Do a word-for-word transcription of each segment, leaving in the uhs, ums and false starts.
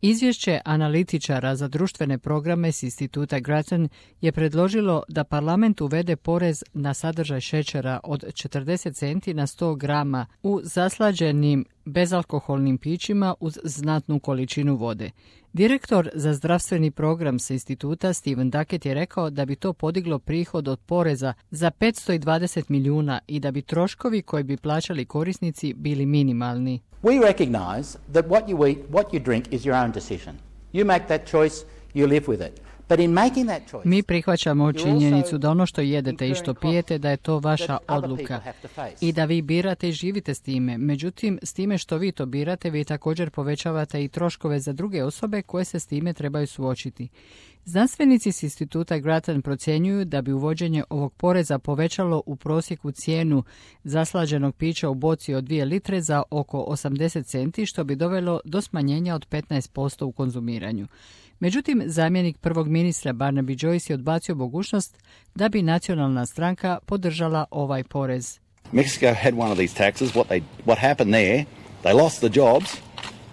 Izvješće analitičara za društvene programe s instituta Grattan je predložilo da parlament uvede porez na sadržaj šećera od četrdeset centi na sto grama u zaslađenim bezalkoholnim pićima uz znatnu količinu vode. Direktor za zdravstveni program sa instituta Steven Duckett je rekao da bi to podiglo prihod od poreza za petsto dvadeset milijuna i da bi troškovi koji bi plaćali korisnici bili minimalni. We recognize that what you eat, what you drink is your own decision. You make that choice, you live with it. But in making that choice, Mi prihvaćamo činjenicu da ono što jedete i što pijete da je to vaša odluka i da vi birate i živite s time. Međutim, s time što vi to birate, vi također povećavate i troškove za druge osobe koje se s time trebaju suočiti. Znanstvenici s instituta Grattan procjenjuju da bi uvođenje ovog poreza povećalo u prosjeku cijenu zaslađenog pića u boci od dvije litre za oko osamdeset centi, što bi dovelo do smanjenja od petnaest posto u konzumiranju. Međutim, zamjenik prvog ministra Barnaby Joyce je odbacio mogućnost da bi nacionalna stranka podržala ovaj porez. Mexico had one of these taxes. What they what happened there? They lost the jobs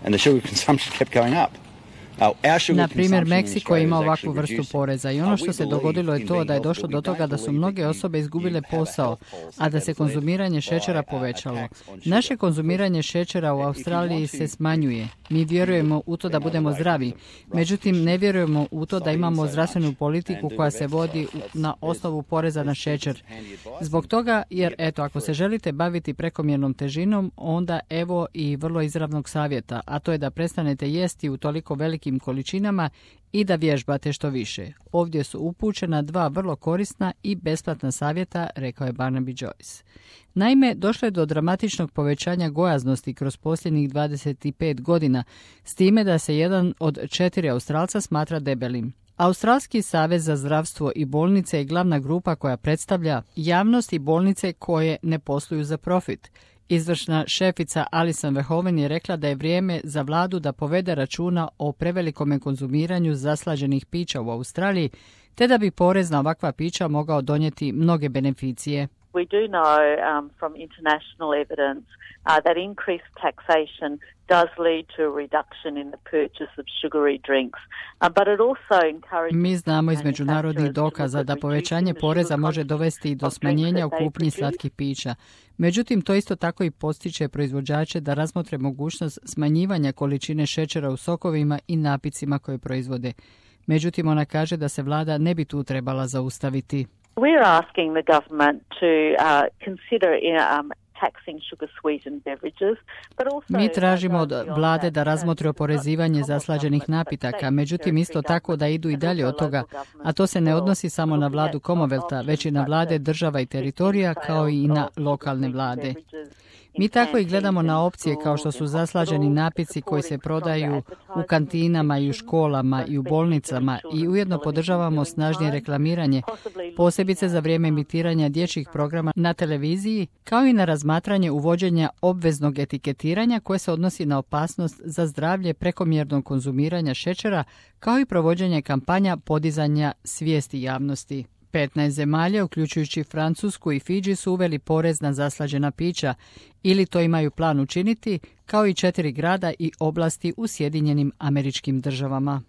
and the sugar consumption kept going up. Na primjer, Meksiko ima ovakvu vrstu poreza i ono što se dogodilo je to da je došlo do toga da su mnoge osobe izgubile posao, a da se konzumiranje šećera povećalo. Naše konzumiranje šećera u Australiji se smanjuje. Mi vjerujemo u to da budemo zdravi, međutim ne vjerujemo u to da imamo zdravstvenu politiku koja se vodi na osnovu poreza na šećer. Zbog toga, jer eto, ako se želite baviti prekomjernom težinom, onda evo i vrlo izravnog savjeta, a to je da prestanete jesti u toliko velikim količinama i da vježbate što više. Ovdje su upućena dva vrlo korisna i besplatna savjeta, rekao je Barnaby Joyce. Naime, došlo je do dramatičnog povećanja gojaznosti kroz posljednjih dvadeset pet godina, s time da se jedan od četiri Australca smatra debelim. Australski savez za zdravstvo i bolnice je glavna grupa koja predstavlja javnost i bolnice koje ne posluju za profit. Izvršna šefica Alison Verhoeven je rekla da je vrijeme za vladu da povede računa o prevelikome konzumiranju zaslađenih pića u Australiji, te da bi porez na ovakva pića mogao donijeti mnoge beneficije. We do know um, from international evidence uh, that increased taxation does lead to a reduction in the purchase of sugary drinks, uh, but it also encourages. Mi znamo iz međunarodnih dokaza da povećanje poreza može dovesti i do smanjenja u kupnji slatkih pića. Međutim, to isto tako i postiče proizvođače da razmotre mogućnost smanjivanja količine šećera u sokovima i napicima koje proizvode. Međutim, ona kaže da se vlada ne bi tu trebala zaustaviti. We're asking the government to uh, consider um, taxing sugar sweetened beverages, but also Mi tražimo od vlade da razmotri oporezivanje zaslađenih napitaka, međutim isto tako da idu i dalje od toga, a to se ne odnosi samo na vladu Commonwealtha, već i na vlade država i teritorija kao i na lokalne vlade. Mi tako i gledamo na opcije kao što su zaslađeni napici koji se prodaju u kantinama i u školama i u bolnicama i ujedno podržavamo snažnije reklamiranje, posebice za vrijeme emitiranja dječjih programa na televiziji, kao i na razmatranje uvođenja obveznog etiketiranja koje se odnosi na opasnost za zdravlje prekomjernog konzumiranja šećera, kao i provođenje kampanja podizanja svijesti javnosti. petnaest zemalja, uključujući Francusku i Fidži, su uveli porez na zaslađena pića ili to imaju plan učiniti, kao i četiri grada i oblasti u Sjedinjenim Američkim Državama.